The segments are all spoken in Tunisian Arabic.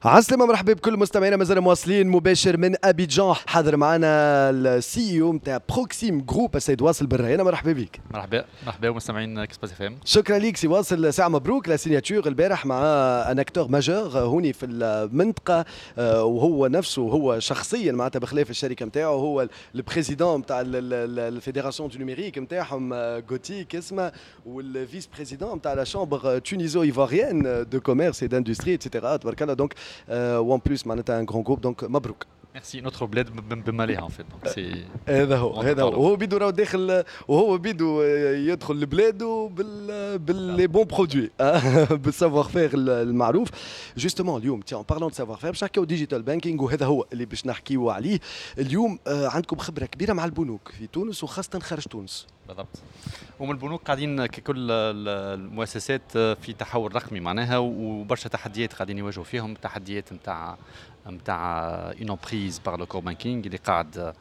عسلامة، مرحبا بكل مستمعينا، مازال مواصلين مباشر من ابيجان. حاضر معنا ال CEO نتاع Proxim Group، السيد واصل بالريانة. مرحبا بك. مرحبا مرحبا ومستمعين Express FM. شكرا لك سي واصل. ساعة مبروك la signature البارح مع un acteur majeur هوني في المنطقة، وهو نفسه هو شخصيا معناتها بخلاف الشركة نتاعو هو ال président نتاع ال fédération du numérique نتاعهم، GOTIC اسمها، وال vice-président نتاع la chambre tuniso-ivoirienne de commerce et d'industrie et cetera. تبارك الله، donc و en plus معناتها un grand groupe، donc مبروك. merci، notre بلاد بماليها en fait، donc c'est هذا هو، هذا هو. وهو بيدو راهو داخل، وهو بيدو يدخل لبلاده بال les bons produits، بال savoir-faire المعروف. justement اليوم، tiens، parlons de savoir-faire، باش نحكيو digital banking، وهذا هو اللي باش نحكيو عليه اليوم. عندكم خبره كبيرة مع البنوك في تونس وخاصة خارج تونس. بالضبط، ومن البنوك قاعدين ككل المؤسسات في تحول رقمي معناها، وبرشا تحديات قاعدين يواجهوا فيهم، تحديات نتاع une emprise par le core banking اللي قاعد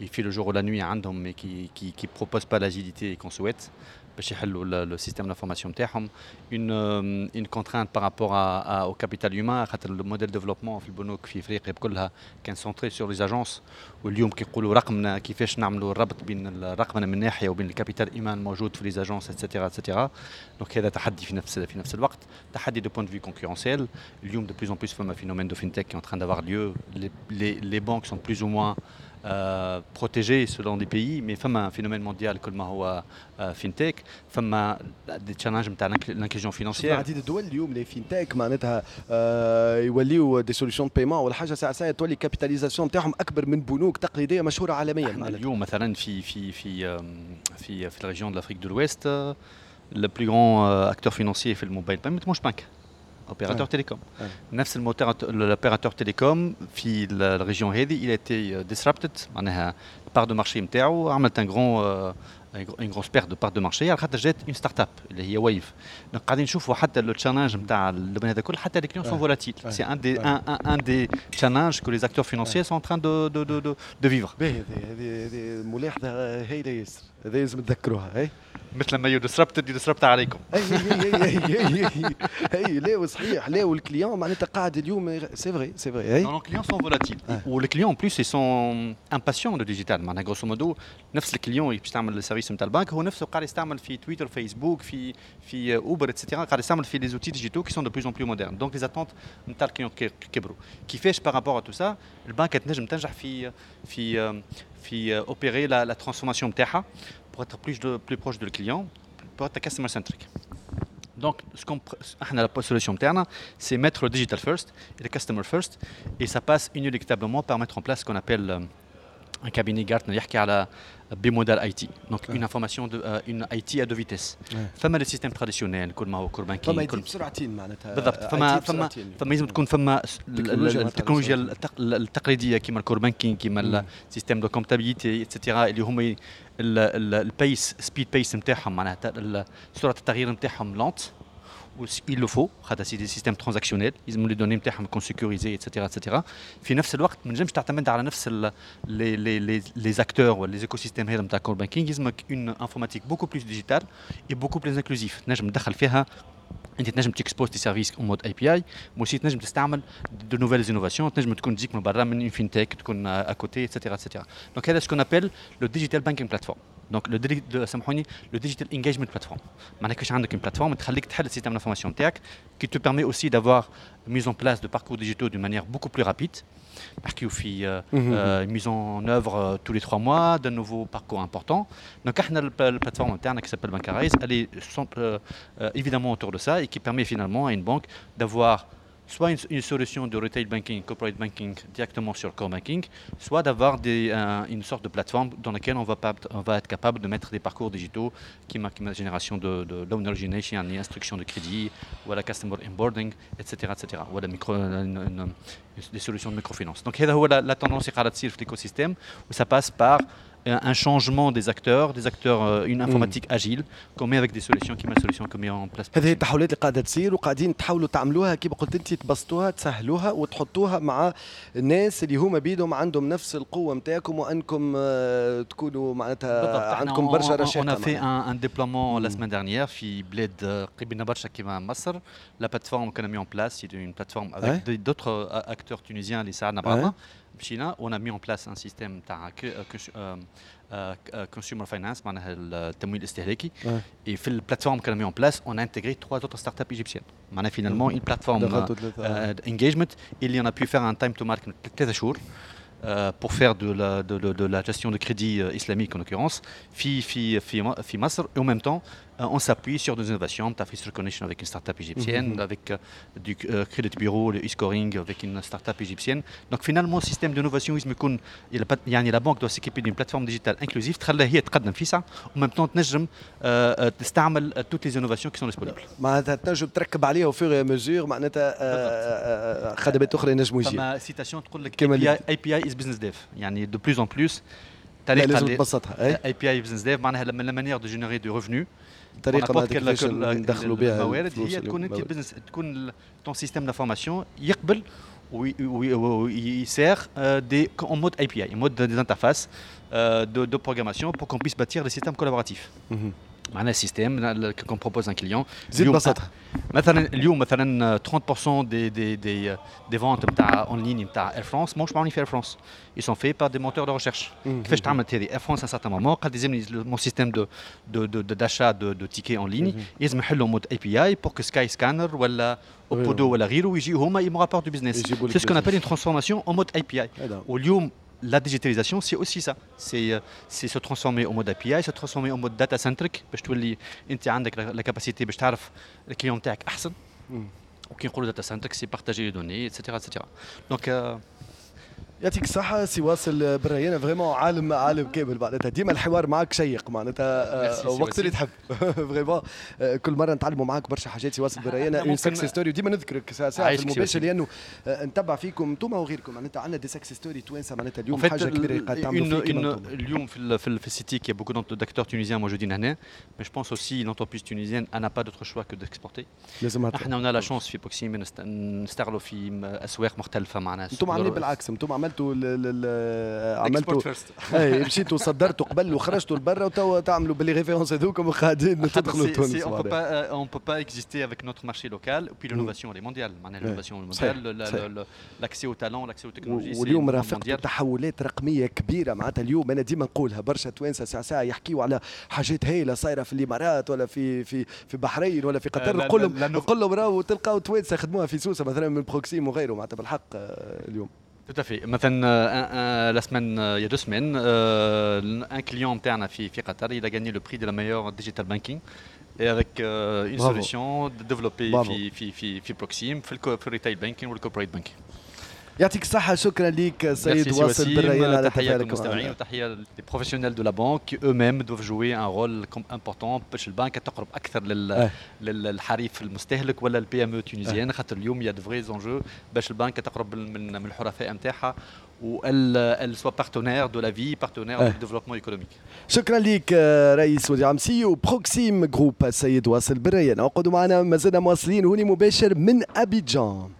il fait le jour ou la nuit عندهم، mais qui propose pas l'agilité qu'on souhaite باش يحلوا le système d'information نتاعهم، une contrainte par rapport au capital humain، خاطر ال modèle développement في البنوك في افريقيا كلها كان centré sur les agences، واليوم كيقولوا رقمنا، كيفاش نعملوا الربط بين الرقمنه من ناحية وبين ال capital humain الموجود في les agences et cetera et cetera. donc هذا تحدي. في نفس الوقت تحدي de point de vue concurrentiel. اليوم de plus en plus فما phénomène de fintech qui est en train d'avoir lieu. les banques sont plus ou moins protégés selon des pays، mais فما phénomène mondial كل ما هو fintech، فما des challenges نتاع l'inclusion financière. عديد الدول اليوم les fintech معناتها يوليو des solutions de paiement ولا حاجه، ساعة ساعة تولي capitalisation نتاعهم اكبر من بنوك تقليدية مشهورة عالميا. معناتها اليوم مثلا في ال région de l'Afrique de l'Ouest، le plus grand acteur financier في ال mobile payment مش بنك، opérateur télécom. نفس الموتور، l'opérateur télécom في ال région هذه il a été disrupted، معناها part de marché نتاعو عملت un grand une grosse perte de part de marché على خاطر جات une startup اللي هي Wave. donc قاعدين نشوفوا حتى le challenge نتاع ال domaine هذا كل، حتى les clients sont volatiles، c'est un des challenges que les acteurs financiers sont en train de vivre. باهي، هذه ملاحظة هايلة ياسر، هذا لازم تذكروها هي. مثل ما you disrupted you disrupt عليكم. اي اي اي اي اي، لا صحيح، لا، وال client معناتها قاعد اليوم، c'est vrai، c'est vrai. اي non، clients sont volatiles، وال clients en plus sont impatients de digital. معناها grosso modo نفس ال client باش تعمل ال service نتاع البنك هو نفسه قاعد يستعمل في تويتر، فيسبوك، في Uber et cetera، قاعد يستعمل في les outils digitaux qui sont de plus en plus modernes. donc les attentes نتاع ال client كبروا. كيفاش par rapport à tout ça البنك تنجم تنجح في opérer la transformation نتاعها pour être plus proche de le client، pour être customer centric؟ Donc, ce qu'on, la solution interne، c'est mettre le digital first et le customer first, et ça passe inéluctablement par mettre en place ce qu'on appelle un cabinet Gartner يحكي على bimodal IT، donc une information de une IT à deux vitesses. فما les systèmes traditionnels كل ما هو core banking. فما IT بسرعتين معناتها. بالضبط، فما لازم تكون فما التكنولوجيا التقليدية كيما ال core banking، كيما ال système de comptabilité et cetera، اللي هما ال pace speed pace نتاعهم، معناها سرعة التغيير نتاعهم lente، il le faut خاطر c'est des systèmes transactionnels، يلزم les données نتاعهم يكون sécurisées et cetera et cetera. في نفس الوقت ما نجمش تعتمد على نفس les acteurs ولا les écosystèmes هذا نتاع core banking. يلزمك une informatique beaucoup plus digitale et beaucoup plus inclusive، تنجم تدخل فيها انت، تنجم t'exposes tes services en mode API، mais تنجم تستعمل de nouvelles innovations، تنجم تكون تجيك من برا من fintech تكون à côté et cetera et cetera. donc هذا ce qu'on appelle le digital banking platform، donc le سامحوني، le digital engagement platform. معناها كيفاش عندك une plateforme تخليك تحل ال système d'information نتاعك، qui te permet aussi d'avoir mise en place de parcours digitaux d'une manière beaucoup plus rapide. نحكيو في mise en œuvre tous les 3 mois d'un nouveau parcours important. Donc احنا ال plateforme نتاعنا qui s'appelle Bankarize، elle est évidemment autour de ça et qui permet finalement à une banque d'avoir soit une solution de retail banking, corporate banking directement sur le core banking، soit d'avoir une sorte de plateforme dans laquelle on va être capable de mettre des parcours digitaux كيما génération de loan origination، يعني instruction de crédit، ولا customer onboarding، etc., etc., ولا des solutions de microfinance. Donc هذا هو la tendance اللي قاعدة تصير في l'écosystème، و ça passe par un changement des acteurs, une informatique agile qu'on met avec des solutions كيما solution qu'on met en place. هذه التحولات اللي قاعدة تصير وقاعدين تحاولوا تعملوها، كيما قلت انت، تبسطوها، تسهلوها وتحطوها مع الناس اللي هما بيدهم عندهم نفس القوة نتاعكم، وانكم تكونوا معناتها عندكم برشا رشاقه. On a fait un déploiement la semaine dernière في بلاد قريبنا برشا كيما مصر. La plateforme qu'on a mis en place, c'est une plateforme avec d'autres acteurs tunisiens اللي ساعدنا بعضنا. مشينا on a mis en place un système تاع consumer finance، معناها التمويل الاستهلاكي. Et في ال plateforme qu'on a mis en place, on a intégré trois autres startups égyptiennes. معناها finalement une plateforme engagement اللي on a pu faire un time to market 3 شهور pour faire de la gestion de crédit islamique en l'occurrence في مصر, et en même temps on s'appuie sur des innovations تاع face recognition avec une start-up égyptienne, avec du credit bureau, le e-scoring avec une start-up égyptienne. Donc finalement le système d'innovation لازم يكون، يعني la banque doit s'équiper d'une plateforme digitale inclusive تخليها هي تقدم فيسع و même temps تنجم تستعمل toutes les innovations qui sont disponibles. معناتها تنجم تركب عليها au fur et à mesure معناتها خدمات اخرى ينجموا يجيو. فما citation تقول لك API is business dev، يعني de plus en plus. طريقه لازم تبسطها. API business dev معناها la manière de générer du revenu. طريقه معناتها كيفاش ندخلوا بها الموارد هي تكون انت business، تكون ton système d'information يقبل وي sert des en mode API, en mode des interfaces de programmation pour qu'on puisse bâtir des systèmes collaboratifs. معناها système qu'on propose un client. زيد بسطها. مثلا اليوم مثلا 30% des ventes نتاع en ligne نتاع Air France ماهوش معمولين في Air France, ils sont faits par des moteurs de recherche. كيفاش تعملت هذه؟ Air France à un certain moment قال لازمني mon système de de de d'achat de tickets en ligne لازم نحلوا mode API pour que Skyscanner ولا Opodo ولا غيره يجيو هما ils me rapportent du business. C'est ce qu'on appelle une transformation en mode API. واليوم la digitalisation, c'est aussi ça. C'est se transformer en mode API, se transformer en mode data centric باش تولي انت عندك la capacité باش تعرف ال client تاعك احسن. وكي نقولوا data centric, c'est partager les données, etc. etc. Donc يعطيك الصحة سي واصل بالريانة، vraiment عالم عالم كامل، معناتها ديما الحوار معك شيق، معناتها وقت اللي تحب، vraiment كل مرة نتعلموا معك برشا حاجات. سي واصل بالريانة، une success story، وديما نذكرك ساعة ساعة في المباشر لأنه نتبع فيكم انتم وغيركم، معناتها عندنا des success stories توانسة، معناتها اليوم حاجة كبيرة قاعد تعملوا فيها. اليوم في ال SITIC il y a beaucoup d'acteurs tunisiens موجودين هنا, mais je pense aussi l'entreprise tunisienne n'a pas d'autre choix que d'exporter. لازم. احنا on a la chance في Proxim نستغلوا في اسواق مختلفة معناها. انتم عاملين بالعكس، انتم عملتوا اي مشيتوا صدرتوا قبل وخرجتوا لبرا، وتوا تعملوا ب les références هذوكم وقاعدين تدخلوا تونس. On peut pas exister avec notre marché local, puis l'innovation elle est mondiale، معناها l'innovation mondiale, l'accès au talent, l'accès aux technologies. واليوم رافقت تحولات رقمية كبيره، معناتها اليوم انا ديما نقولها، برشا توانسة ساعة ساعة يحكيوا على حاجات هايلة صايرة في الامارات ولا في بحرين ولا في قطر، نقول لهم راهو تلقاو توانسة خدموها في سوسة مثلا من Proxim وغيره، معناتها بالحق اليوم. Tout à fait. مثلا la semaine, il y a 2 semaines, un client interne في قطر, il a gagné le prix de la meilleure digital banking et avec une Bravo. Solution développée في Proxim في retail banking وال corporate banking. يعطيك الصحة، شكرا لك سيد واصل بالريان على تحية للمستمعين وتحية les professionnels de la banque qui eux-mêmes doivent jouer un rôle important باش البنك تقرب أكثر للحريف المستهلك ولا ال PME tunisienne، خاطر اليوم il y a de vrais enjeux باش البنك تقرب من الحرفاء نتاعها و elle soit partenaire de la vie, partenaire du développement économique. شكرا لك رئيس مدير عام CEO Proxim Group السيد واصل بالريان. اقعدوا معنا، مازلنا مواصلين هوني مباشر من ابيجان.